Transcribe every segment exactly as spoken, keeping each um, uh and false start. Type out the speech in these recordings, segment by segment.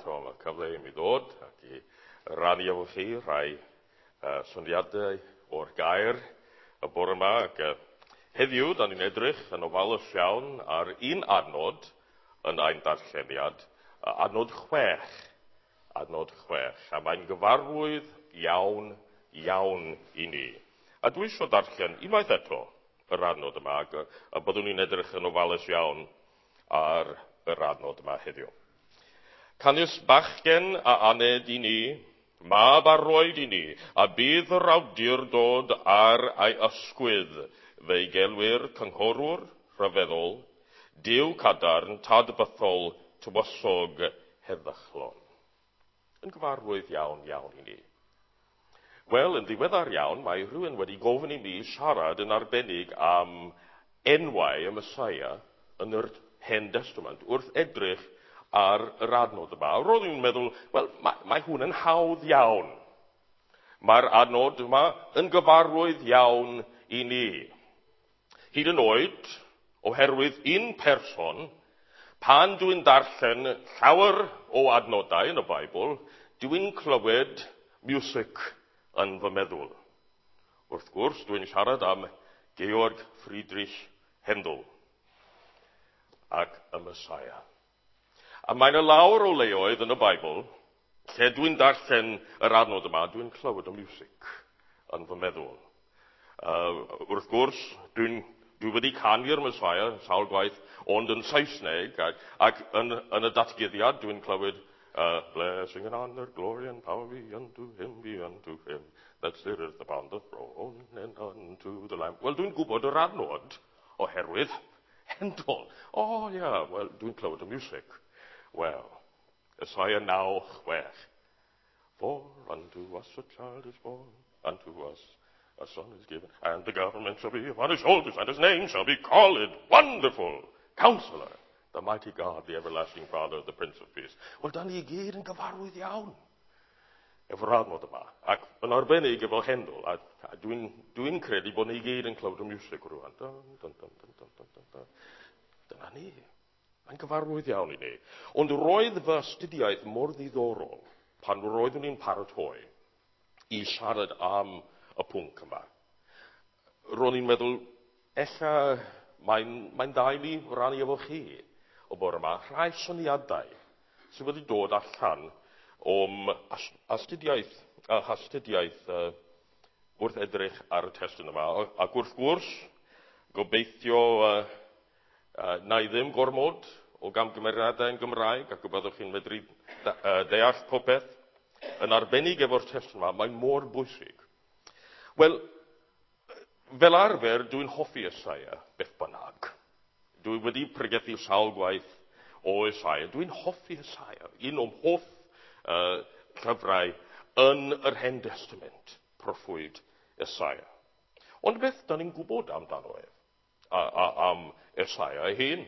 eto am y cyfle i mi ddod ac i rannu efo chi rhai uh, syniadau o'r gair y bore yma. Ac, uh, heddiw, da ni'n edrych yn ofalus iawn ar un adnod yn ein darlleniad, uh, adnod chwech. Adnod chwech. A mae'n gyfarwydd iawn, iawn i ni. A dwi eisiau darllen unwaith eto yr adnod yma, ac, a byddwn ni'n edrych yn ofalus iawn ar yr adnod yma heddiw. Canys bachgen a aned i ni, mab a roed i ni, a bydd yr awdurdod ar ei ysgwydd, fe'i gelwir cynghorwr rhyfeddol, Duw cadarn, tad bythol, tywysog heddychlon. Yn gyfarwydd iawn, iawn i ni. Wel, yn ddiweddar iawn, mae rhywun wedi gofyn i mi siarad yn arbennig am enwau y Meseia yn yr Hen Testament, wrth edrych ar yr adnod yma. Roedd i'n meddwl, wel, mae, mae hwn yn hawdd iawn. Mae'r adnod yma yn gyfarwydd iawn i ni. Hyd yn oed, oherwydd un person, pan dwi'n darllen llawer o adnodau yn y Beibl, dwi'n clywed music yn fy meddwl. Wrth gwrs, dwi'n siarad am Georg Friedrich Händel ac y Messiah. A mae yna lawer o leoedd yn y Beibl, lle dwi'n darllen yr adnod yma, dwi'n clywed y music yn fy meddwl. Uh, wrth gwrs, dwi'n dwi wedi canu'r Messiah sawl gwaith, ond yn Saesneg, ac, ac yn, yn y datguddiad dwi'n clywed uh, blessing and honor, glory and power be unto him, be unto him, that sitteth upon the throne and unto the Lamb. Wel, dwi'n gwybod yr adnod oherwydd Händel. O, oh, ie, yeah, wel, dwi'n clywed y music. Wel, Isaiah naw chwech. For unto us a child is born, unto us a son is given, and the government shall be upon his shoulders, and his name shall be called Wonderful Counselor, the Mighty God, the Everlasting Father, the Prince of Peace. Wel, da ni i gyd yn gyfarwydd iawn efo'r adnod yma. Ac yn arbennig efo Händel, a, a dwi'n dwi credu bod ni i gyd yn clywed y music rwan. Dun, dun, dun, dun, dun, dun, dun, dun. Dyna ni. Mae'n gyfarwydd iawn i ni. Ond roedd fy astudiaeth mor ddiddorol pan roeddwn i'n paratoi i siarad am y pwnc yma. Ro'n i'n meddwl, ella mae'n mae dda i mi rannu efo chi o bore yma rhai syniadau sydd wedi dod allan o'm astudiaeth, a hastudiaeth uh, wrth edrych ar y testun yma. Ac wrth gwrs, gobeithio uh, uh, na i ddim gormod o gamgymeriadau yn Gymraeg, ac y byddwch chi'n medru uh, deall popeth. Yn arbennig efo'r testun yma, mae'n mor bwysig. Wel, fel arfer, dwi'n hoffi Esaia, beth bynnag. Dwi wedi pregethu sawl gwaith o Esaia. Dwi'n hoffi Esaia, un o'm hoff uh, llyfrau yn yr Hen Testament, proffwyd Esaia. Ond beth da ni'n gwybod amdano ef, a, a, am Esaia ei hun?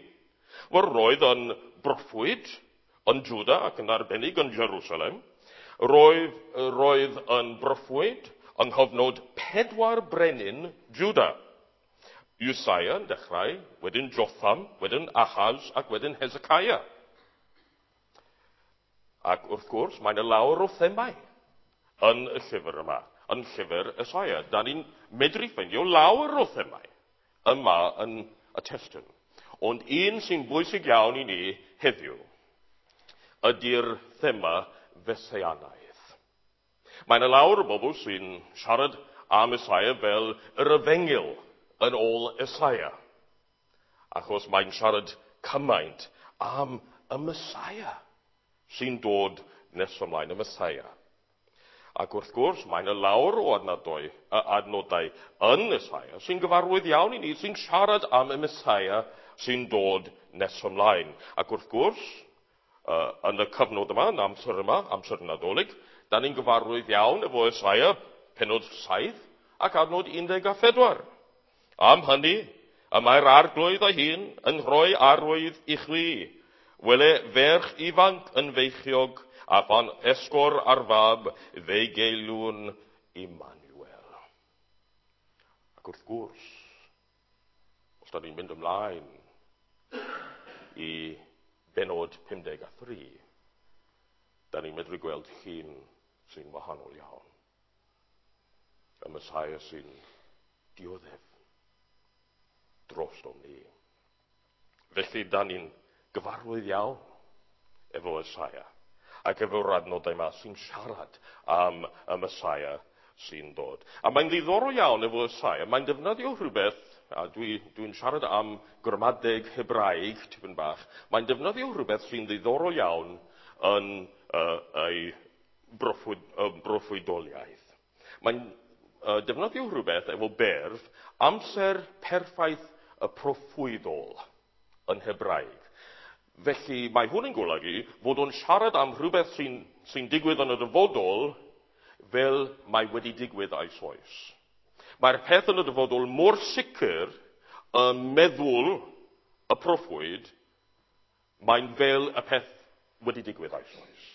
Wel, roedd yn broffwyd yn Juda ac yn arbennig yn Jerusalem. Roedd, roedd yn broffwyd yng nghyfnod pedwar brenin Juda. Usia yn dechrau, wedyn Jotham, wedyn Ahaz ac wedyn Hezekiah. Ac wrth gwrs, mae'n y lawer o themau yn y llyfr yma, yn llyfr Esaia. Da ni'n medru ffeindio lawer o themau yma yn y testun. Ond un sy'n bwysig iawn i ni heddiw ydy'r thema Feseianaidd. Mae'n y lawer o bobl sy'n siarad am Esaia fel yr efengyl yn ôl Esaia. Achos mae'n siarad cymaint am y Mesaia sy'n dod nes ymlaen, y Mesaia. Ac wrth gwrs, mae'n y lawer o adnodau, adnodau yn Esaia sy'n gyfarwydd iawn i ni, sy'n siarad am y Mesaia sy'n dod nes ymlaen. Ac wrth gwrs, uh, yn y cyfnod yma, yn amser yma, amser Nadolig, da ni'n gyfarwydd iawn efo Esaia, pennod saith ac adnod un deg a phedwar. Am hynny, y mae'r arglwydd ei hun yn rhoi arwydd i chwi. Wele ferch ifanc yn feichiog, a phan esgor ar fab, fe'i geilwn Immanuel. Ac wrth gwrs, os da ni'n mynd ymlaen i benod pum deg a thri, da ni'n medru gweld llun sy'n wahanol iawn. Y Mesaia sy'n dioddef drostom ni. Felly, da ni'n gyfarwydd iawn efo Esaia ac efo'r adnodau yma sy'n siarad am y Mesaia sy'n dod. A mae'n ddiddorol iawn efo Esaia. Mae'n defnyddio rhywbeth, a dwi'n dwi siarad am gramadeg Hebraeg tipyn bach, mae'n defnyddio rhywbeth sy'n ddiddorol iawn yn uh, ei broffwyd, uh, broffwydoliaeth. Mae'n uh, defnyddio rhywbeth efo berf amser perffaith y proffwydol yn Hebraeg. Felly mae hwn yn golygu fod o'n siarad am rhywbeth sy'n sy digwydd yn y dyfodol fel mae wedi digwydd eisoes. Mae'r peth yn y dyfodol mor sicr yn meddwl y proffwyd, mae'n fel y peth wedi digwydd eisoes.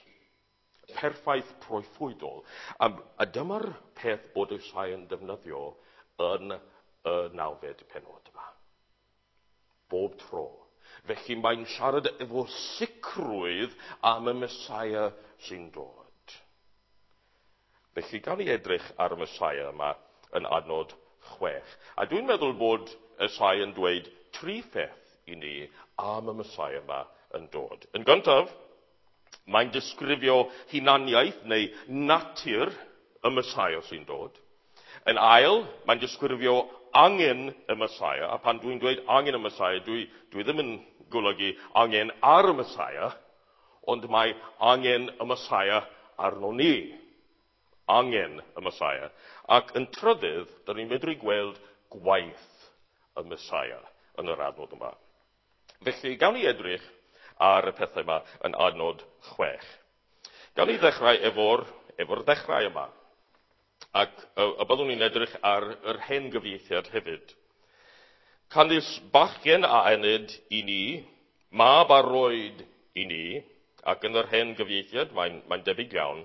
Perffaith proffwydol. A, a dyma'r peth bod Esaia yn defnyddio yn y nawfed pennod yma. Bob tro. Felly mae'n siarad efo sicrwydd am y Mesaia sy'n dod. Felly gawn ni edrych ar y Mesaia yma yn adnod chwech. A dwi'n meddwl bod Esaia yn dweud tri pheth i ni am y Mesaia yma yn dod. Yn gyntaf, mae'n disgrifio hunaniaeth neu natur y Mesaia sy'n dod. Yn ail, mae'n disgrifio angen y Mesaia, a pan dwi'n dweud angen y Mesaia, dwi, dwi ddim yn golygu angen ar y Mesaia, ond mae angen y Mesaia arno ni. Angen y Mesaia. Ac yn trydydd, da ni'n medru gweld gwaith y Mesaia yn yr adnod yma. Felly, gawn ni edrych ar y pethau yma yn adnod chwech. Gawn ni ddechrau efo'r, efo'r ddechrau yma. Ac y, y byddwn ni'n edrych ar yr hen gyfieithiad hefyd. Canys bachgen a enid i ni, mab a roed i ni, ac yn yr hen gyfieithiad mae'n, mae'n debyg iawn,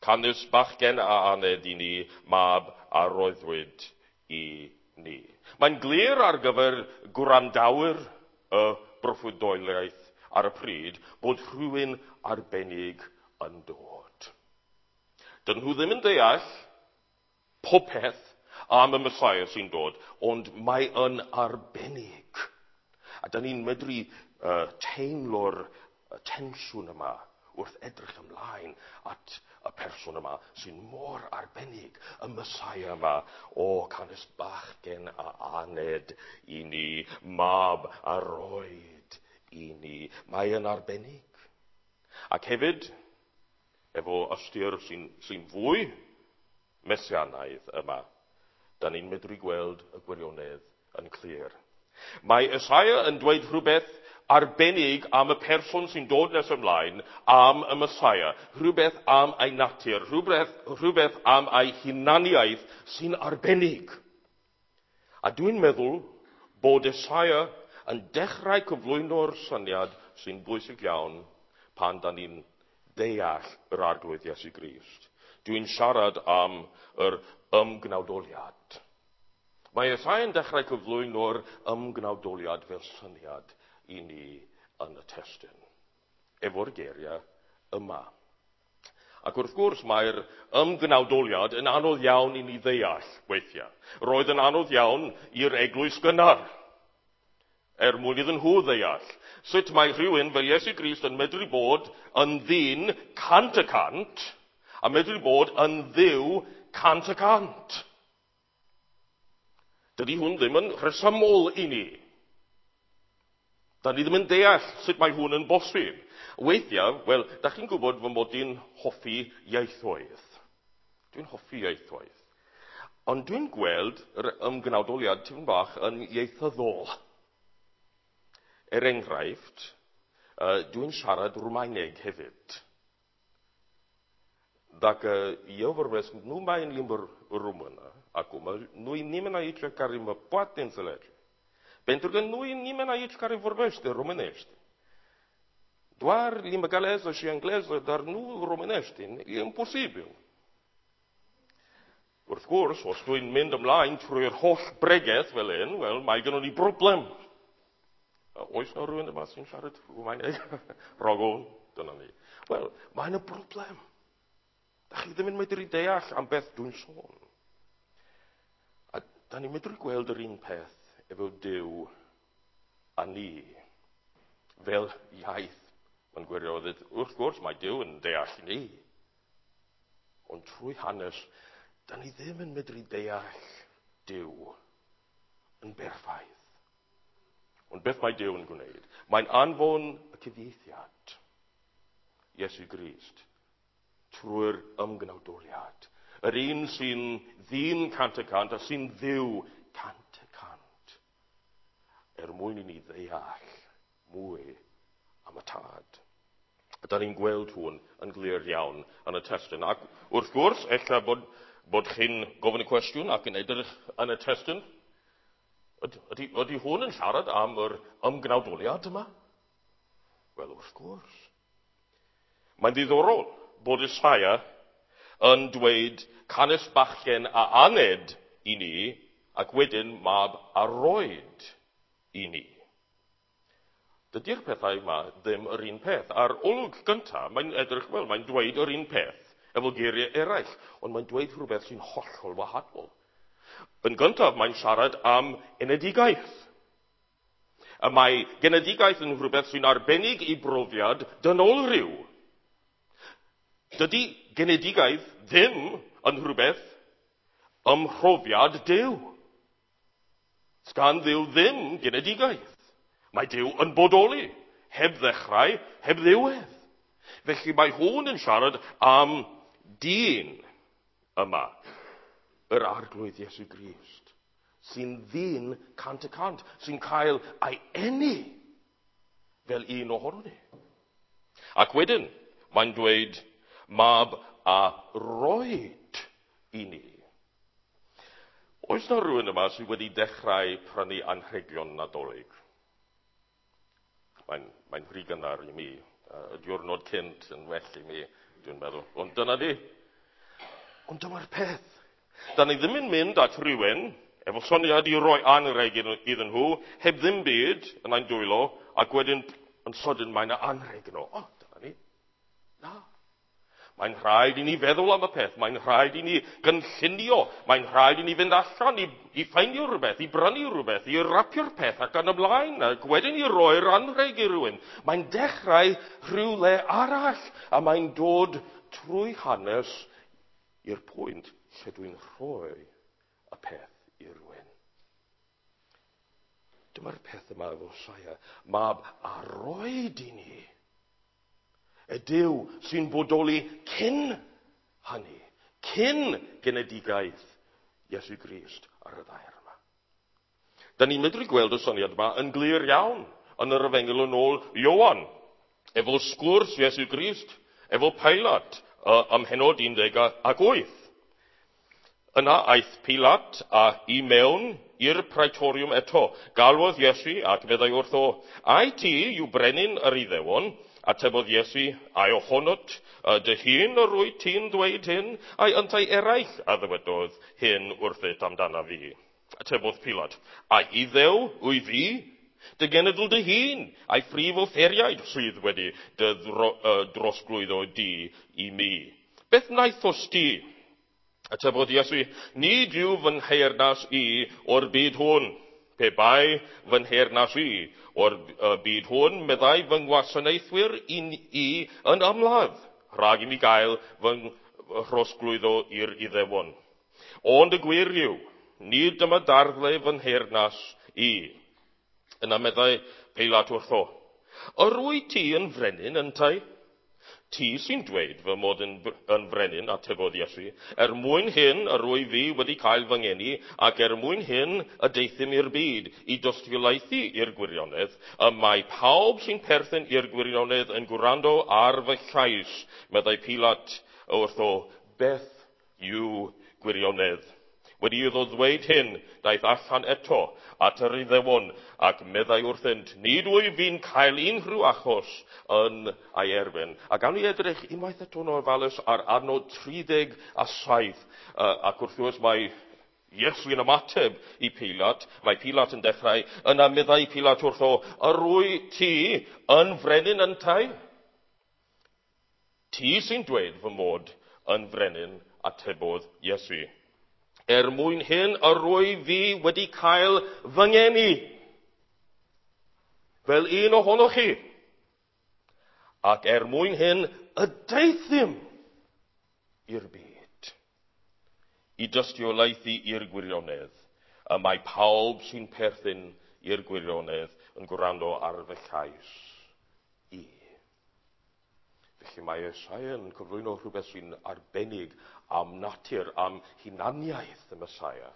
canys bachgen a aned i ni, mab a roeddwyd i ni. Mae'n glir ar gyfer gwrandawyr y broffwydoliaeth ar y pryd bod rhywun arbennig yn dod. Dyn nhw ddim yn deall popeth am y Mesaia sy'n dod, ond mae yn arbennig. A da ni'n medru uh, teimlo'r tensiwn yma wrth edrych ymlaen at y person yma sy'n mor arbennig, y Mesaia yma. O, canys bachgen a aned i ni, mab a roed i ni. Mae yn arbennig. Ac hefyd, efo ystyr sy'n, sy'n fwy mesianaidd yma, da ni'n medru gweld y gwirionedd yn clir. Mae Esaia yn dweud rhywbeth arbennig am y person sy'n dod nes ymlaen, am y Mesaia, rhywbeth am ei natur, rhywbeth, rhywbeth am ei hunaniaeth sy'n arbennig. A dwi'n meddwl bod Esaia yn dechrau cyflwyno'r syniad sy'n bwysig iawn pan da ni'n deall yr Arglwydd Iesu Grist. Dwi'n siarad am yr ymgnawdoliad. Mae Esaia yn dechrau cyflwyno'r ymgnawdoliad fel syniad i ni yn y testun, efo'r geiriau yma. Ac wrth gwrs mae'r ymgnawdoliad yn anodd iawn i ni ddeall weithiau. Roedd yn anodd iawn i'r eglwys gynnar, er mwyn iddyn nhw ddeall. Sut mae rhywun fel Iesu Grist yn medru bod yn ddyn cant y cant, a medru bod yn dduw cant y cant. Dydy hwn ddim yn rhesymol i ni. Da ni ddim yn deall sut mae hwn yn bosib. Weithiau, wel, da chi'n gwybod fy mod i'n hoffi ieithoedd. Dwi'n hoffi ieithoedd. Ond dwi'n gweld yr ymgnawdoliad tipyn bach yn ieithyddol. Er enghraifft, uh, dwi'n siarad Rwmaeneg hefyd. Dacă eu vorbesc numai în limba română, acum, nu-i nimeni aici care mă poate înțelege. Pentru că nu e nimeni aici care vorbește românește. Doar limba galeză și engleză, dar nu românește. E imposibil. Wrth gwrs, os dwi'n mynd ymlaen trwy'r holl bregeth fel hyn, wel, mae gynnon ni broblem. Oes na rhywun yma sy'n siarad Rwmaeneg? Rogwn, dyna ni. Wel, mae yna broblem. Da chi ddim yn medru deall am beth dwi'n sôn. A da ni'n medru gweld yr un peth efo Duw a ni fel iaith. Mae'n gwirionedd, wrth gwrs mae Duw yn deall ni. Ond trwy hanes, da ni ddim yn medru deall Duw yn berffaith. Ond beth mae Duw yn gwneud? Mae'n anfon y cyfieithiad, Iesu Grist, trwy'r ymgnawdoliad. Yr un sy'n ddyn cant y cant a sy'n Dduw cant y cant. Er mwyn i ni ddeall mwy am y Tad. A da ni'n gweld hwn yn glir iawn yn y testun. Ac wrth gwrs, ella bod, bod chi'n gofyn y cwestiwn ac yn edrych yn y testun. Ydy, ydy hwn yn siarad am yr ymgnawdoliad yma? Wel, wrth gwrs. Mae'n ddiddorol bod Isaia yn dweud canys bachgen a aned i ni ac wedyn mab a roed i ni. Dydy'r pethau yma ddim yr un peth. Ar olwg gyntaf, mae'n edrych, wel, mae'n dweud yr un peth efo geiriau eraill, ond mae'n dweud rhywbeth sy'n hollol wahanol. Yn gyntaf, mae'n siarad am enedigaeth. A mae genedigaeth yn rhywbeth sy'n arbennig i brofiad dynolryw. Dydy genedigaeth ddim yn rhywbeth ym mhrofiad Duw. Sgan Dduw ddim genedigaeth. Mae Duw yn bodoli, heb ddechrau, heb ddiwedd. Felly mae hwn yn siarad am dyn yma, yr Arglwydd Iesu Grist, sy'n ddyn cant y cant, sy'n cael ei eni fel un ohono ni. Ac wedyn, mae'n dweud, mab a roed i ni. Oes na rhywun yma sydd wedi dechrau prynu anrhegion Nadolig? Mae'n, mae'n rhy gynnar i mi. Y diwrnod cynt yn well i mi, dwi'n meddwl. Ond dyna di. Ond dyma'r peth. Da ni ddim yn mynd at rhywun efo syniad i roi anrheg iddyn nhw, heb ddim byd yn ein dwylo, ac wedyn yn sydyn mae yna anrheg yno. O, dyna ni. Na. Mae'n rhaid i ni feddwl am y peth, mae'n rhaid i ni gynllunio, mae'n rhaid i ni fynd allan i, i ffeindio rhywbeth, i brynu rhywbeth, i rapio'r peth ac yn ymlaen, ac wedyn i roi'r anrheg i rhywun. Mae'n dechrau rhywle arall, a mae'n dod trwy hanes i'r pwynt lle dwi'n rhoi y peth i rhywun. Dyma'r peth yma efo Isaia, mab a roed i ni. Y Duw sy'n bodoli cyn hynny, cyn genedigaeth Iesu Grist ar y ddaear yma. Da ni'n medru gweld y syniad yma yn glir iawn yn yr Efengyl yn ôl Ioan, efo sgwrs Iesu Grist, efo Pilat ym mhennod un deg ac wyth. Yna aeth Pilat a i mewn i'r praetorium eto. Galwodd Iesu ac meddai wrtho, ai ti yw brenin yr Iddewon? Atebodd Iesu, ai ohonot dy hun yr wyt ti'n dweud hyn, ai yntau eraill a ddywedodd hyn wrthyt amdana fi? Atebodd Pilat, ai Iddew wyf fi? Dy genedl dy hun, ai phrif offeiriaid sydd wedi dy ddro, uh, drosglwyddo di i mi? Beth wnaethost ti? Atebodd Iesu, nid yw fy nheyrnas i o'r byd hwn. Pe bai fy nheyrnas i o'r byd hwn, meddai fy ngwasanaethwyr i, i yn ymladd, rhag i mi gael fy nhrosglwyddo i'r Iddewon. Ond y gwir yw, nid dyma darddle fy nheyrnas i. Yna meddai Pilat wrtho, yr wyt ti yn frenin yntau? Ti sy'n dweud fy mod yn, yn frenin, atebodd Iesu, er mwyn hyn yr wyf fi wedi cael fy ngeni, ac er mwyn hyn y deuthum i'r byd, i dystiolaethu i'r gwirionedd, y mae pawb sy'n perthyn i'r gwirionedd yn gwrando ar fy llais, meddai Pilat wrtho, beth yw gwirionedd? Wedi iddo ddweud hyn, daeth allan eto at yr Iddewon, ac meddai wrthynt, nid wyf fi'n cael unrhyw achos yn ei erbyn. A gawn ni edrych unwaith eto'n ofalus ar adnod tri deg a saith, ac wrth gwrs mae Iesu yn ymateb i Pilat, mae Pilat yn dechrau, yna meddai Pilat wrtho, yr wyt ti yn frenin yntau? Ti sy'n dweud fy mod yn frenin, atebodd Iesu. Er mwyn hyn yr wyf fi wedi cael fy ngeni, fel un ohonoch chi. Ac er mwyn hyn y deuthum i'r byd, i dystiolaethu i'r gwirionedd. Y mae pawb sy'n perthyn i'r gwirionedd yn gwrando ar fy llais i. Felly mae Esaia yn cyflwyno rhywbeth sy'n arbennig am natur, am hunaniaeth y Mesaia.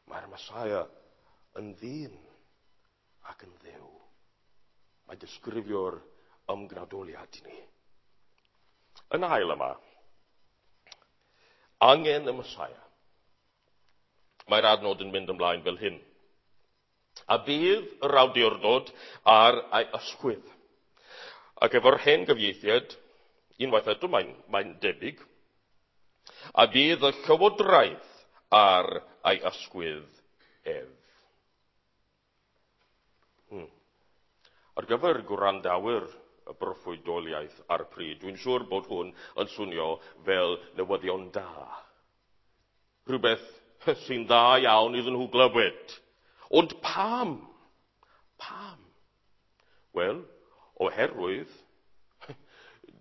Mae'r Mesaia yn ddyn ac yn Dduw. Mae disgrifio'r ymgnawdoliad i ni. Yn ail yma, angen y Mesaia. Mae'r adnod yn mynd ymlaen fel hyn. A bydd yr awdurdod ar ei ysgwydd. Ac efo'r hen gyfieithiad, unwaith eto mae'n, mae'n debyg, a bydd y llywodraeth ar ei ysgwydd ef. Hmm. Ar gyfer gwrandawyr y broffwydoliaeth ar y pryd, dwi'n siŵr bod hwn yn swnio fel newyddion da. Rhywbeth sy'n dda iawn iddyn nhw glywed. Ond pam? Pam? Wel, oherwydd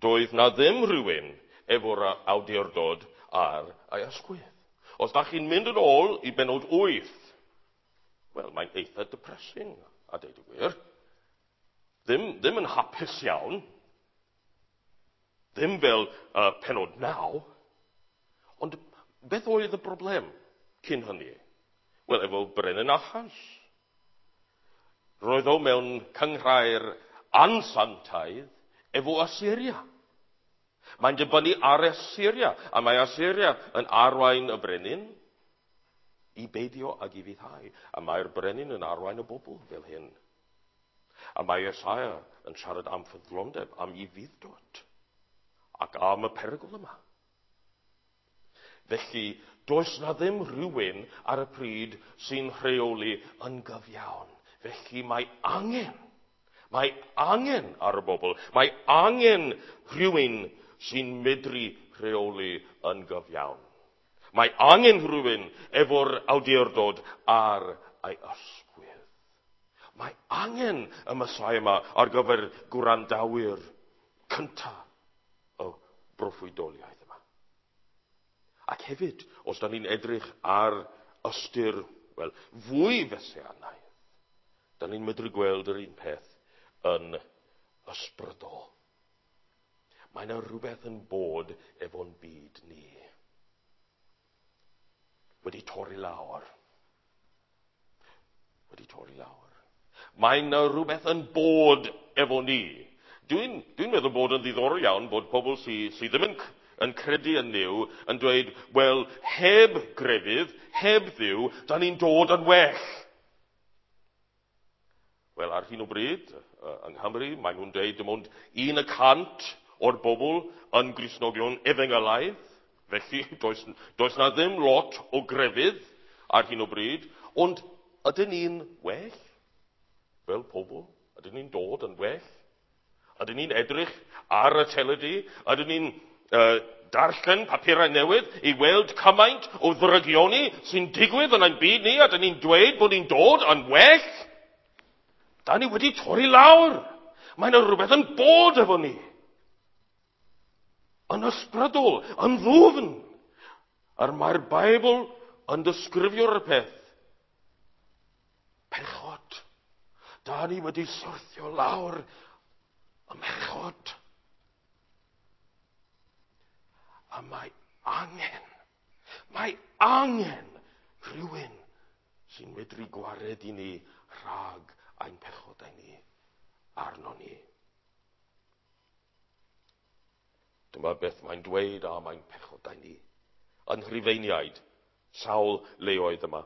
doedd na ddim rhywun efo'r awdurdod ar ei ysgwydd. Os da chi'n mynd yn ôl i benod wyth, wel, mae'n eitha depressing, a deud y gwir. Ddim, ddim yn hapus iawn. Ddim fel uh, penod naw. Ond beth oedd y broblem cyn hynny? Wel, efo Brenin Ahas. Roedd o mewn cynghrair ansantaidd efo Asyria. Mae'n dibynnu ar Asyria, a mae Asyria yn arwain y brenin i beidio ag i fuddhau. A mae'r brenin yn arwain y bobl fel hyn. A mae Esaia yn siarad am ffyddlondeb, am ufudd-dod, ac am y perygl yma. Felly, does na ddim rhywun ar y pryd sy'n rheoli yn gyfiawn. Felly mae angen, mae angen ar y bobl, mae angen rhywun sy'n medru rheoli yn gyfiawn. Mae angen rhywun efo'r awdurdod ar ei ysgwydd. Mae angen y Mesaia yma ar gyfer gwrandawyr cyntaf y broffwydoliaeth yma. Ac hefyd, os da ni'n edrych ar ystyr, wel, fwy fesianaidd, da ni'n medru gweld yr un peth yn ysbrydol. Mae yna rhywbeth yn bod efo'n byd ni. Wedi torri lawr. Wedi torri lawr. Mae yna rhywbeth yn bod efo ni. Dwi'n, dwi'n meddwl bod yn ddiddorol iawn bod pobl sydd sy ddim yn, yn credu yn Nuw yn dweud, wel, heb grefydd, heb Dduw, da ni'n dod yn well. Wel, ar hyn o bryd, yng Nghymru, maen nhw'n dweud dim ond un y cant o'r bobl yn Gristnogion efengylaidd. Felly, does, does na ddim lot o grefydd ar hyn o bryd. Ond ydyn ni'n well fel pobl? Ydyn ni'n dod yn well? Ydyn ni'n edrych ar y teledu? Ydyn ni'n uh, darllen papurau newydd i weld cymaint o ddrygioni sy'n digwydd yn ein byd ni? Ydyn ni'n dweud bod ni'n dod yn well? Da ni wedi torri lawr. Mae yna rhywbeth yn bod efo ni. Yn ysbrydol, yn ddwfn. A mae'r Beibl yn disgrifio'r peth. Pechod. Da ni wedi syrthio lawr ym mhechod. A mae angen, mae angen rhywun sy'n medru gwared i ni rhag ein pechodau ni arno ni. Dyma beth mae'n dweud am ein pechodau ni. Yn Rhufeiniaid, sawl leoedd yma.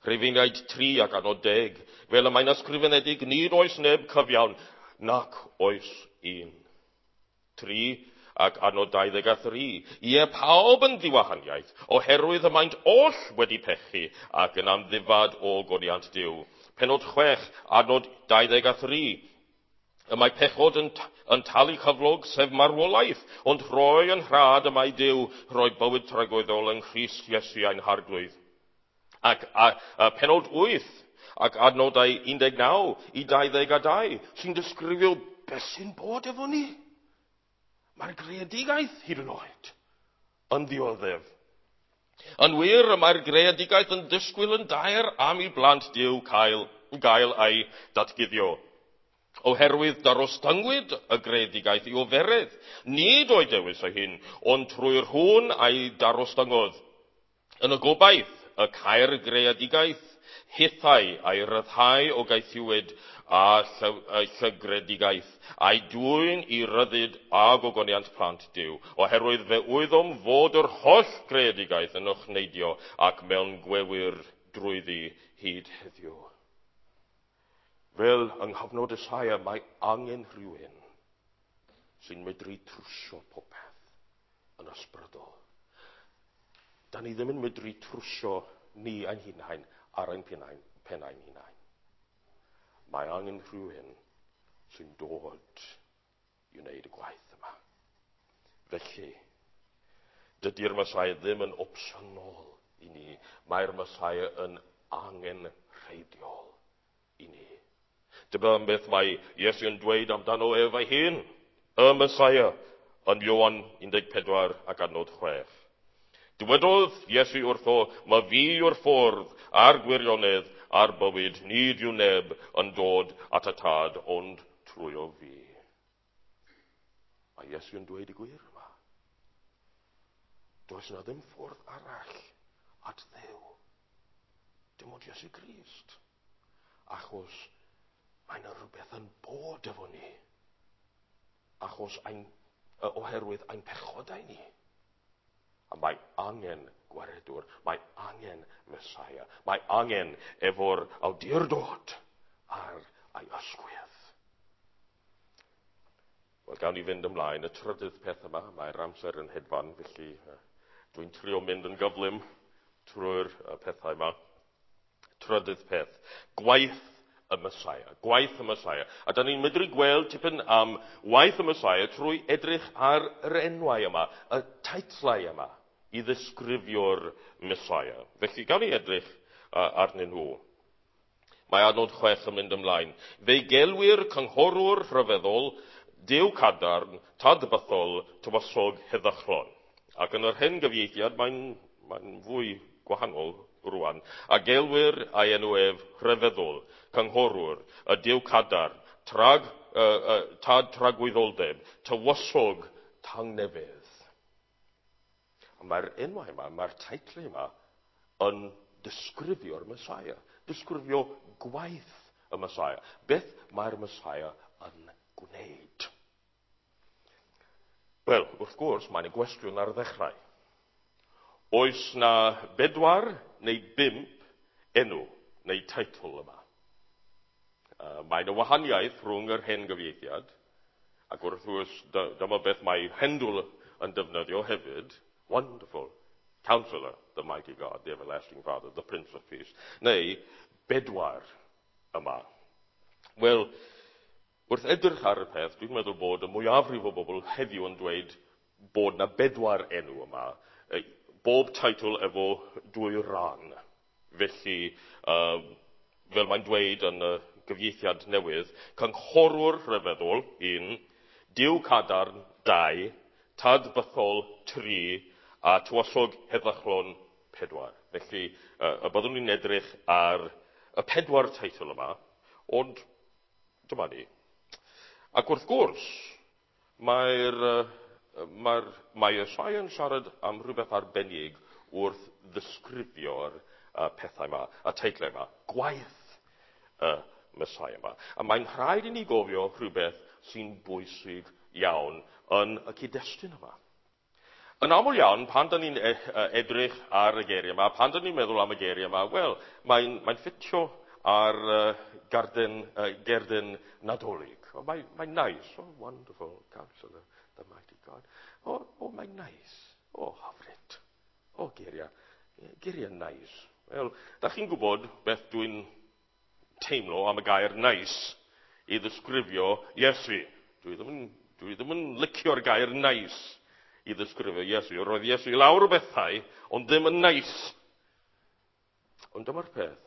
Rhufeiniaid tri ac adnod deg, fel y mae'n ysgrifenedig, nid oes neb cyfiawn, nac oes un. Tri ac adnod dau ddeg a thri. Ie, pawb yn ddiwahaniaeth, oherwydd y maent oll wedi pechu ac yn amddifad o godiant Duw. Penod chwech, adnod dau ddeg a thri. Y mae pechod yn, yn talu cyflog, sef marwolaeth, ond rhoi yn rhad y mae Duw, rhoi bywyd tragwyddol yng Nghrist Iesu ein harglwydd. Ac a, a penod wyth ac adnodau un deg naw i dau ddeg a dau sy'n disgrifio beth sy'n bod efo ni. Mae'r greadigaeth hyd yn oed yn ddioddef. Yn wir, y mae'r greadigaeth yn disgwyl yn daer am i blant Duw cael, gael ei datguddio. Oherwydd darostyngwyd y greadigaeth i oferedd, nid o'i dewis ei hun, ond trwy'r hwn a'i darostyngodd. Yn y gobaith, y cair greadigaeth hithau a'i ryddhau o gaethiwed a llygredigaeth, a'i dwyn i ryddid a gogoniant plant Duw, oherwydd fe wyddom fod yr holl greadigaeth yn ochneidio ac mewn gwewyr drwyddi hyd heddiw. Fel yng nghyfnod Esaia, mae angen rhywun sy'n medru trwsio popeth yn ysbrydol. Da ni ddim yn medru trwsio ni ein hunain ar ein pennau, pennau'n hunain. Mae angen rhywun sy'n dod i wneud y gwaith yma. Felly, dydy'r Mesaia ddim yn opsiynol i ni. Mae'r Mesaia yn angenrheidiol i ni. Dyma beth mae Iesu yn dweud amdano ef ei hun, y Mesaia, yn Ioan un deg pedwar ac adnod chwech. Dywedodd Iesu wrtho, mae fi yw'r ffordd a'r gwirionedd a'r bywyd, nid yw neb yn dod at y tad ond trwyo fi. Mae Iesu yn dweud y gwir yma. Does yna ddim ffordd arall at Dduw. Dim ond Iesu Grist. Achos mae yna rhywbeth yn bod efo ni. Achos ein, oherwydd ein pechodau ni. A mae angen gwaredwr, mae angen Mesaia, mae angen efo'r awdurdod ar ei ysgwydd. Wel, gawn ni fynd ymlaen. Y trydydd peth yma, mae'r amser yn hedfan, felly dwi'n trio mynd yn gyflym trwy'r pethau yma. Trydydd peth, gwaith y Mesaia, gwaith y Mesaia. A da ni'n medru gweld tipyn am waith y Mesaia trwy edrych ar yr enwau yma, y teitlau yma, i ddisgrifio'r Mesaia. Felly, gawn ni edrych uh, arnyn nhw. Mae adnod chwech yn mynd ymlaen. Fe'i gelwir cynghorwr rhyfeddol, Duw cadarn, tad bythol, tywysog heddychlon. Ac yn yr hen gyfieithiad, mae'n mae fwy gwahanol rwan. A gelwir ei enw ef rhyfeddol, cynghorwr, y Duw cadarn, trag, uh, uh, tad tragwyddoldeb, tywysog tangnefedd. A mae'r enwau yma, mae'r teitl yma yn disgrifio'r Mesaia, disgrifio gwaith y Mesaia. Beth mae'r Mesaia yn gwneud? Wel, wrth gwrs, mae'n gwestiwn ar ddechrau. Oes na bedwar neu bump enw neu teitl yma? Uh, mae'n y wahaniaeth rhwng yr hen gyfieithiad, ac wrth gwrs dyma beth mae Handel yn defnyddio hefyd, Wonderful Counselor, the Mighty God, the Everlasting Father, the Prince of Peace, neu bedwar yma. Wel, wrth edrych ar y peth, dwi'n meddwl bod y mwyafrif o bobl heddiw yn dweud bod na bedwar enw yma, bob teitl efo dwy ran. Felly, um, fel mae'n dweud yn y gyfieithiad newydd, cynghorwr rhyfeddol, un, Duw cadarn, dau, tad bythol, tri, a tywysog heddychlon, pedwar. Felly, uh, y byddwn ni'n edrych ar y pedwar teitl yma, ond dyma ni. Ac wrth gwrs, mae'r, mae'r, mae Esaia yn siarad am rhywbeth arbennig wrth ddisgrifio'r pethau yma, y teitlau yma, gwaith y Mesaia yma. A mae'n rhaid i ni gofio rhywbeth sy'n bwysig iawn yn y cyd-destun yma. Yn aml iawn, pan da ni'n edrych ar y geiriau yma, pan da ni'n meddwl am y geiriau yma, wel, mae'n mae ffitio ar uh, garden, uh, gerdyn Nadolig. Oh, mae'n mae nice. Oh, wonderful counselor, the mighty God. Oh, oh mae'n nice. Oh, hyfryd. Oh, geiriau. Geiriau nice. Wel, da chi'n gwybod beth dwi'n teimlo am y gair nice i ddisgrifio Iesu. Dwi ddim yn, dwi ddim yn licio'r gair neis i ddisgrifio Iesu. Roedd Iesu lawr o bethau, ond ddim yn neis. Ond dyma'r peth.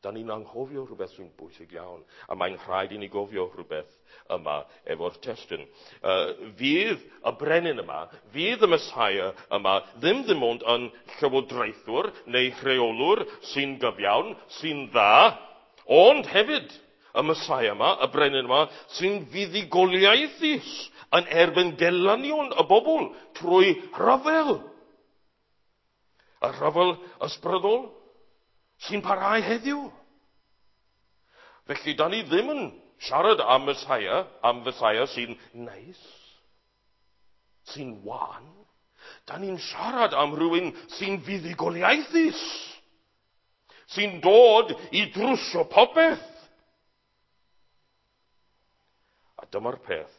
Da ni'n anghofio rhywbeth sy'n bwysig iawn, a mae'n rhaid i ni gofio rhywbeth yma efo'r testun. Uh, fydd y brenin yma, fydd y Messiah yma, ddim ddim ond yn llywodraethwr neu rheolwr sy'n gyfiawn, sy'n dda, ond hefyd y Messiah yma, y brenin yma, sy'n fuddugoliaethus yn erbyn gelynion y bobl trwy rhyfel. Y rhyfel ysbrydol sy'n parhau heddiw. Felly, da ni ddim yn siarad am Messiah, am Messiah sy'n neis, sy'n wan. Da ni'n siarad am rhywun sy'n fuddugoliaethus, sy'n dod i drwsio popeth. A dyma'r peth,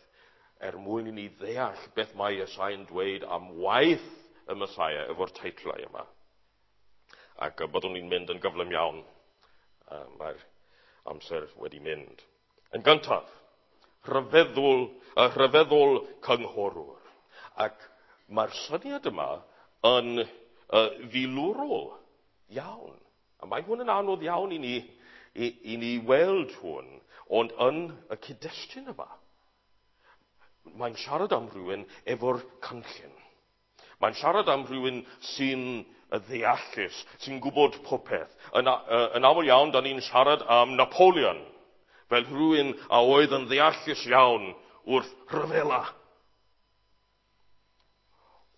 er mwyn i ni ddeall beth mae Iesu'n dweud am waith y Messiah efo'r teitlau yma. Ac byddwn ni'n mynd yn gyflym iawn. Mae'r amser wedi mynd. Yn gyntaf, rhyfeddol, y rhyfeddol cynghorwr. Ac mae'r syniad yma yn uh, filwrol iawn. A mae hwn yn anodd iawn i ni, i, i ni weld hwn, ond yn y cyd-destun yma, mae'n siarad am rhywun efo'r cynllun. Mae'n siarad am rhywun sy'n ddeallus, sy'n gwybod popeth. Yn, yn aml iawn, da ni'n siarad am Napoleon, fel rhywun a oedd yn ddeallus iawn wrth rhyfela.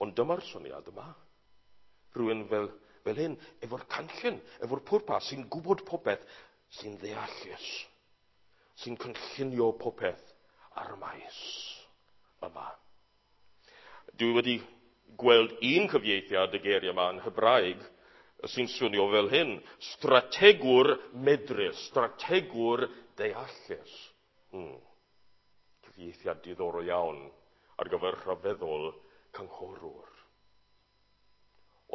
Ond dyma'r syniad yma. Rhywun fel, fel hyn, efo'r cynllun, efo'r pwrpas, sy'n gwybod popeth, sy'n ddeallus, sy'n cynllunio popeth ar y maes yma. Dwi wedi gweld un cyfieithiad y geiriau yma yn Hebraeg sy'n swnio fel hyn. Strategwr medrus, strategwr deallus. Hmm. Cyfieithiad diddorol iawn ar gyfer rhyfeddol cynghorwr.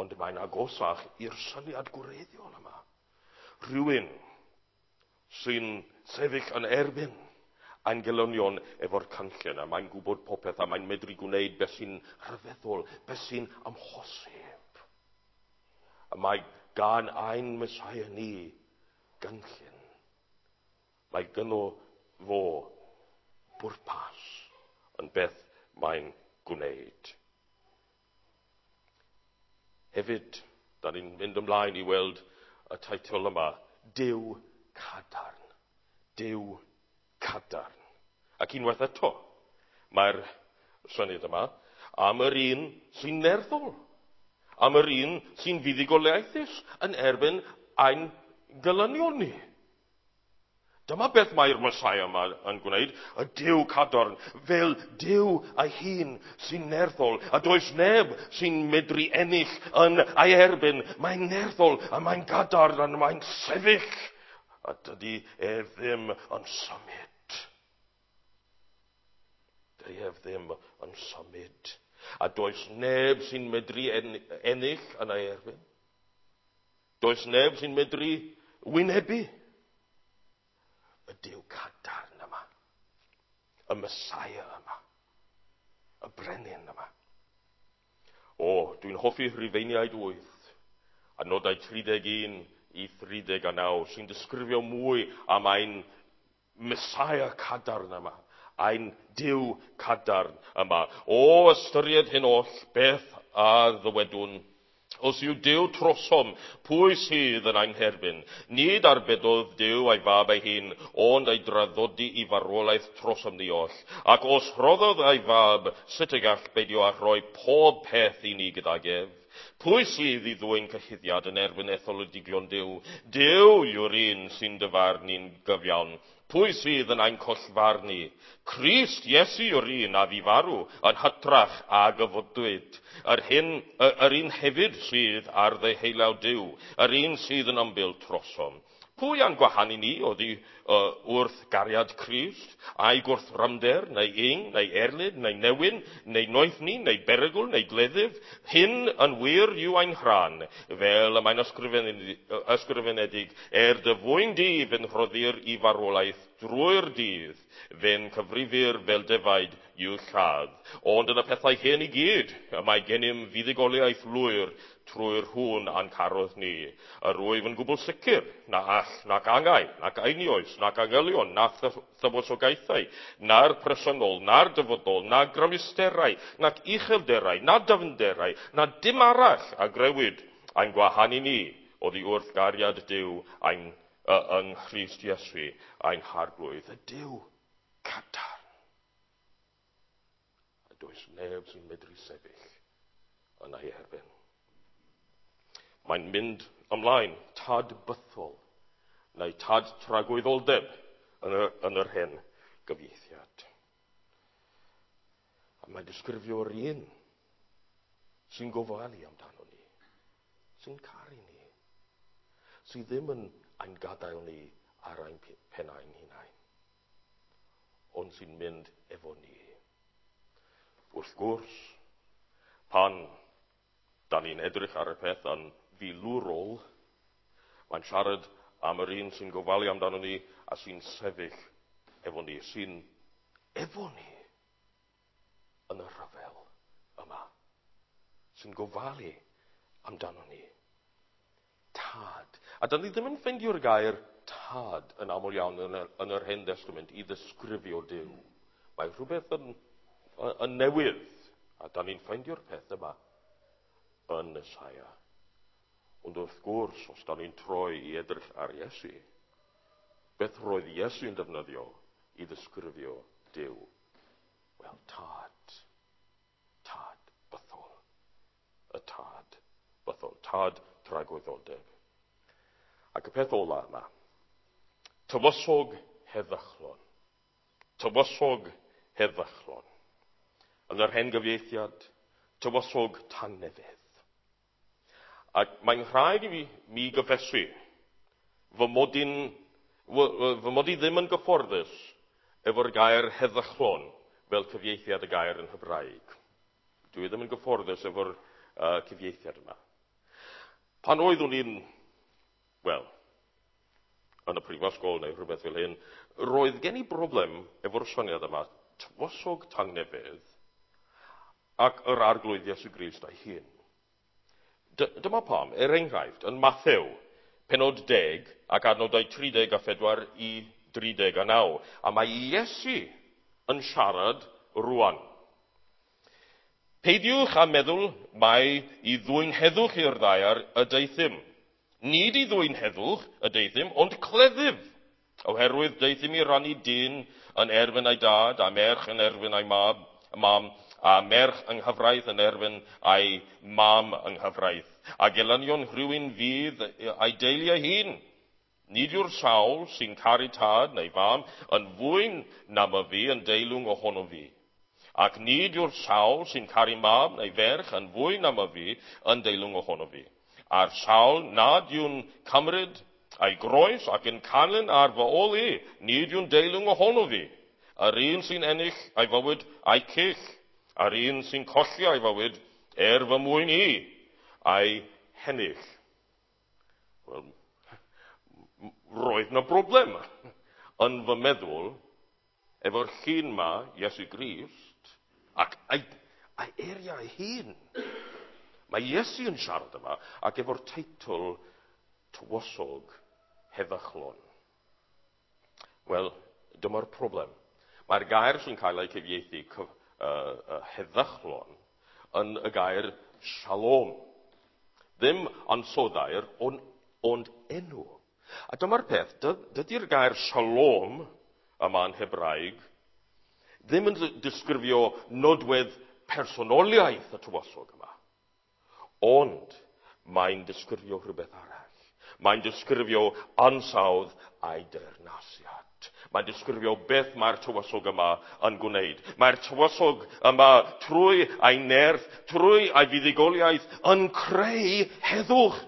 Ond mae'n agosach i'r syniad gwreiddiol yma. Rhywun sy'n sefyll yn erbyn a'n gelynion efo'r cynllun, a mae'n gwybod popeth, a mae'n medru gwneud beth sy'n rhyfeddol, beth sy'n amhosib. A mae gan ein Messiah ni gynllun. Mae gynno fo bwrpas yn beth mae'n gwneud. Hefyd, da ni'n mynd ymlaen i weld y teitl yma, Duw Cadarn. Duw Cadarn. Ac unwaith eto, mae'r syniad yma am yr un sy'n nerthol, am yr un sy'n fuddugoliaethus yn erbyn ein gelynion ni. Dyma beth mae'r Messiah yma yn gwneud, y Duw cadarn, fel Duw ei hun sy'n nerthol, a does neb sy'n medru ennill yn ei erbyn. Mae'n nerthol, a mae'n gadarn, a mae'n sefyll, a dydy ef ddim yn symud. Dydy ef ddim yn symud. A does neb sy'n medru ennill yn ei erbyn. Does neb sy'n medru wynebu. Y Duw cadarn yma, y Messiah yma, y brenin yma. O, dwi'n hoffi Rhufeiniaid wyth, a nodau tri deg un i thri deg a naw, sy'n disgrifio mwy am ein Messiah cadarn yma, ein Duw cadarn yma. O, ystyried hyn oll, beth a ddywedwn? Os yw Duw trosom, pwy sydd yn ein herbyn? Nid arbedodd Duw ei fab ei hun, ond ei draddodi i farwolaeth trosom ni oll. Ac os rhoddodd ei fab, sut y gall beidio â rhoi pob peth i ni gydag ef? Pwy sydd i ddwyn cyhuddiad yn erbyn etholedigion Duw? Duw yw'r un sy'n dyfarnu'n gyfiawn. Pwy sydd yn ein collfarnu? Crist Iesu yw'r un a fu farw yn hytrach a gyfodwyd. Yr, hyn, yr un hefyd sydd ar ddeheulaw Duw, yr un sydd yn ymbil trosom. Pwy a'n gwahanu ni oddi uh, wrth gariad Crist, a'i gwrthrymder, neu ing, neu erlid, neu newyn, neu noethni, neu berygl, neu gleddyf? Hyn yn wir yw ein rhan, fel y mae'n ysgrifenedig, er dy fwyn di fe'n rhoddir i farwolaeth drwy'r dydd, fe'n cyfrifir fel defaid i'w lladd. Ond yn y pethau hyn i gyd, y mae gennym fuddugoliaeth lwyr trwy'r hwn a'n carodd ni. Yr wyf yn gwbl sicr na all, nac angau, nac einioes, nac angylion, na thywysogaethau, na'r presennol, na'r dyfodol, na grymusterau, nac uchelderau, na dyfnderau, na dim arall a grëwyd ein gwahanu ni oddi wrth gariad Duw ein, uh, yng Nghrist Iesu, ein harglwydd, y Duw cadarn. A does neb sy'n medru sefyll yn ei erbyn. Mae'n mynd ymlaen, tad bythol, neu tad tragwyddoldeb yn, y, yn yr hen gyfieithiad. A mae'n disgrifio'r un sy'n gofalu amdano ni, sy'n caru ni, sydd ddim yn ein gadael ni ar ein pennau'n hunain, ond sy'n mynd efo ni. Wrth gwrs, pan da ni'n edrych ar y peth yn filwrol, mae'n siarad am yr un sy'n gofalu amdano ni a sy'n sefyll efo ni, sy'n efo ni yn y rhyfel yma, sy'n gofalu amdano ni. Tad. A da ni ddim yn ffeindio'r gair tad yn aml iawn yn yr, yn yr Hen Testament i ddisgrifio Duw. Mae rhywbeth yn, yn newydd, a da ni'n ffeindio'r peth yma yn Esaia. Ond wrth gwrs, os da ni'n troi i edrych ar Iesu, beth roedd Iesu'n defnyddio i ddisgrifio Duw? Wel, tad. Tad bythol. Y tad bythol. Tad tragwyddoldeb. Ac y peth ola yma, tywysog heddychlon. Tywysog heddychlon. Yn yr hen gyfieithiad, tywysog tangnefedd. Ac mae'n rhaid i fi mi gyffesu fy mod i'n, fy mod i ddim yn gyfforddus efo'r gair heddychlon fel cyfieithiad y gair yn Hebraeg. Dwi ddim yn gyfforddus efo'r uh, cyfieithiad yma. Pan oeddwn i'n, wel, yn y prifysgol neu rhywbeth fel hyn, roedd gen i broblem efo'r syniad yma, tywysog tangnefedd ac yr arglwydd Iesu Grist ei hun. Dyma pam, er enghraifft, yn Mathew, penod deg ac adnodau tri deg a phedwar i dri deg a naw. A mae Iesu yn siarad rwan. Peidiwch â meddwl mai i ddwyn heddwch i'r ddaear y deuthum. Nid i ddwyn heddwch y deuthum, ond cleddyf. Oherwydd deuthum i rannu dyn yn erbyn ei dad, a merch yn erbyn ei mab, mam, a merch yng nghyfraith yn erbyn ei mam yng nghyfraith. A gelynion rhywun fydd ei deulu ei hun. Nid yw'r sawl sy'n caru tad neu fam yn fwy na myfi yn deilwng ohono fi. Ac nid yw'r sawl sy'n caru mab neu ferch yn fwy na myfi yn deilwng ohono fi. A'r sawl nad yw'n cymryd ei groes ac yn canlyn ar fy ôl i, nid yw'n deilwng ohono fi. Yr un sy'n ennill ei fywyd a'i cyll, a'r un sy'n colli ei fywyd er fy mwyn i, a'i hennill. Wel, roedd na broblem yn fy meddwl efo'r llun ma, Iesu Grist, ac ei, ei eiriau ei hun. Mae Iesu yn siarad yma ac efo'r teitl tywysog heddychlon. Wel, dyma'r problem. Mae'r gair sy'n cael ei cyfieithu uh, uh, heddychlon yn y gair shalom. Ddim ansoddair, ond, ond enw. A dyma'r peth, dydy'r gair shalom yma yn Hebraeg ddim yn disgrifio nodwedd personoliaeth y tywysog yma, ond mae'n disgrifio rhywbeth arall. Mae'n disgrifio ansawdd a'i deyrnasiad. Mae'n disgrifio beth mae'r tywysog yma yn gwneud. Mae'r tywysog yma trwy ei nerth, trwy ei fuddugoliaeth yn creu heddwch.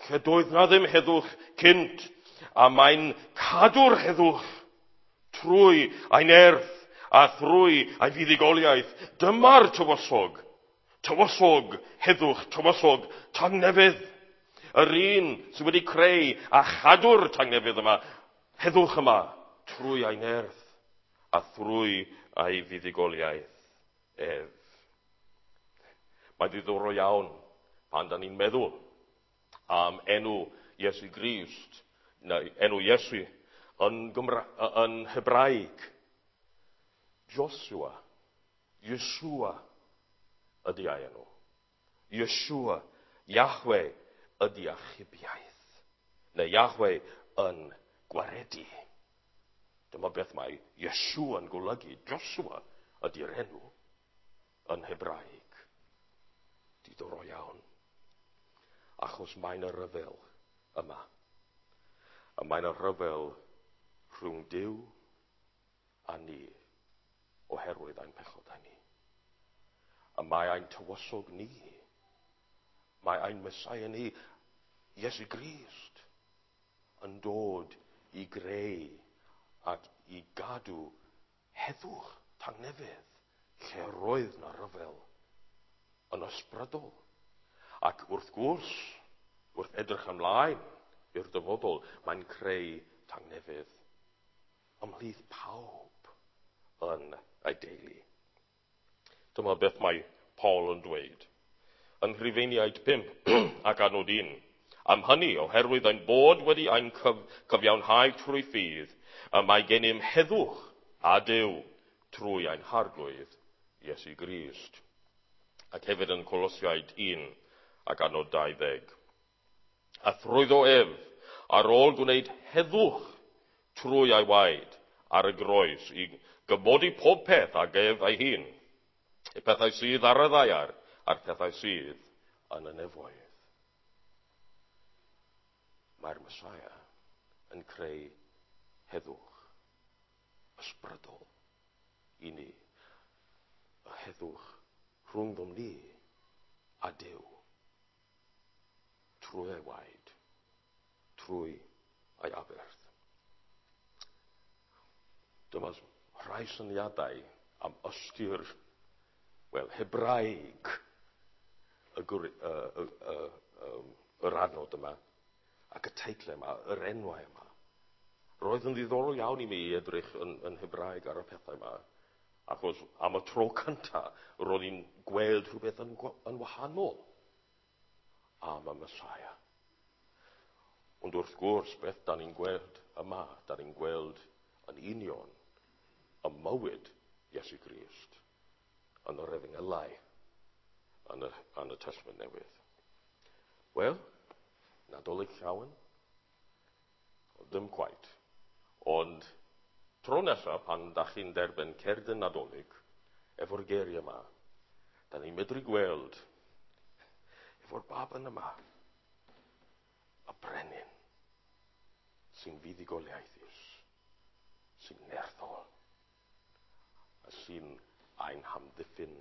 Lle doedd na ddim heddwch cynt. A mae'n cadw'r heddwch trwy ei nerth a thrwy ei fuddugoliaeth. Dyma'r tywysog, tywysog heddwch, tywysog tangnefedd. Yr un sydd wedi creu a chadw'r tangnefedd yma, heddwch yma, trwy ei nerth a thrwy ei fuddugoliaeth ef. Mae'n ddiddorol iawn pan da ni'n meddwl am enw Iesu Grist, neu enw Iesu yn, Gymra- yn Hebraeg. Joshua, Yeshua ydy ei enw. Yeshua, Yahweh ydy achubiaeth, neu Yahweh yn gwaredu. Dyma beth mae Yeshua yn golygu. Joshua ydy'r enw yn Hebraeg. Diddorol iawn. Achos mae'n y rhyfel yma. A mae'n y rhyfel rhwng Duw a ni oherwydd ein pechodau ni. A mae ein tywysog ni, mae ein Mesaia ni, Iesu Grist, yn dod i greu ac i gadw heddwch tangnefedd lle roedd na ryfel yn ysbrydol. Ac wrth gwrs, wrth edrych ymlaen i'r dyfodol, mae'n creu tangnefedd ymhlith pawb yn ei deulu. Dyma beth mae Paul yn dweud. Yn Rhufeiniaid pump ac adnod un. Am hynny, oherwydd ein bod wedi ein cyf cyfiawnhau trwy ffydd, y mae gennym heddwch a Duw trwy ein harglwydd Iesu Grist. Ac hefyd yn Colosiaid un ac adnod dau ddeg. A thrwyddo ef, ar ôl gwneud heddwch trwy ei waed ar y groes, i gymodi pob peth ag ef ei hun, y pethau sydd ar y ddaear a'r pethau sydd yn y nefoedd. Mae'r Mesaia yn creu heddwch ysbrydol i ni. Y heddwch rhwngddom ni a Duw. Trwy ei waed, trwy ei aberth. Dyma rhai syniadau am ystyr, wel, Hebraeg y, y, y, y, y, yr adnod yma ac y teitl yma, yr enwau yma. Roedd yn ddiddorol iawn i mi edrych yn, yn Hebraeg ar y pethau yma, achos am y tro cyntaf roedd i'n gweld rhywbeth yn, yn wahanol am y Mesaia. Ond wrth gwrs, beth da ni'n gweld yma, da ni'n gweld yn union y mywyd Iesu Grist yn yr Efengylau, yn y, yn y Testament Newydd. Wel, Nadolig llawen? Ddim quite. Ond tro nesaf, pan da chi'n derbyn cerdyn Nadolig, efo'r geiriau yma, da ni'n medru gweld efo'r baban yma, y brenin sy'n fuddugoliaethus, sy'n nerthol, a sy'n ein hamddiffyn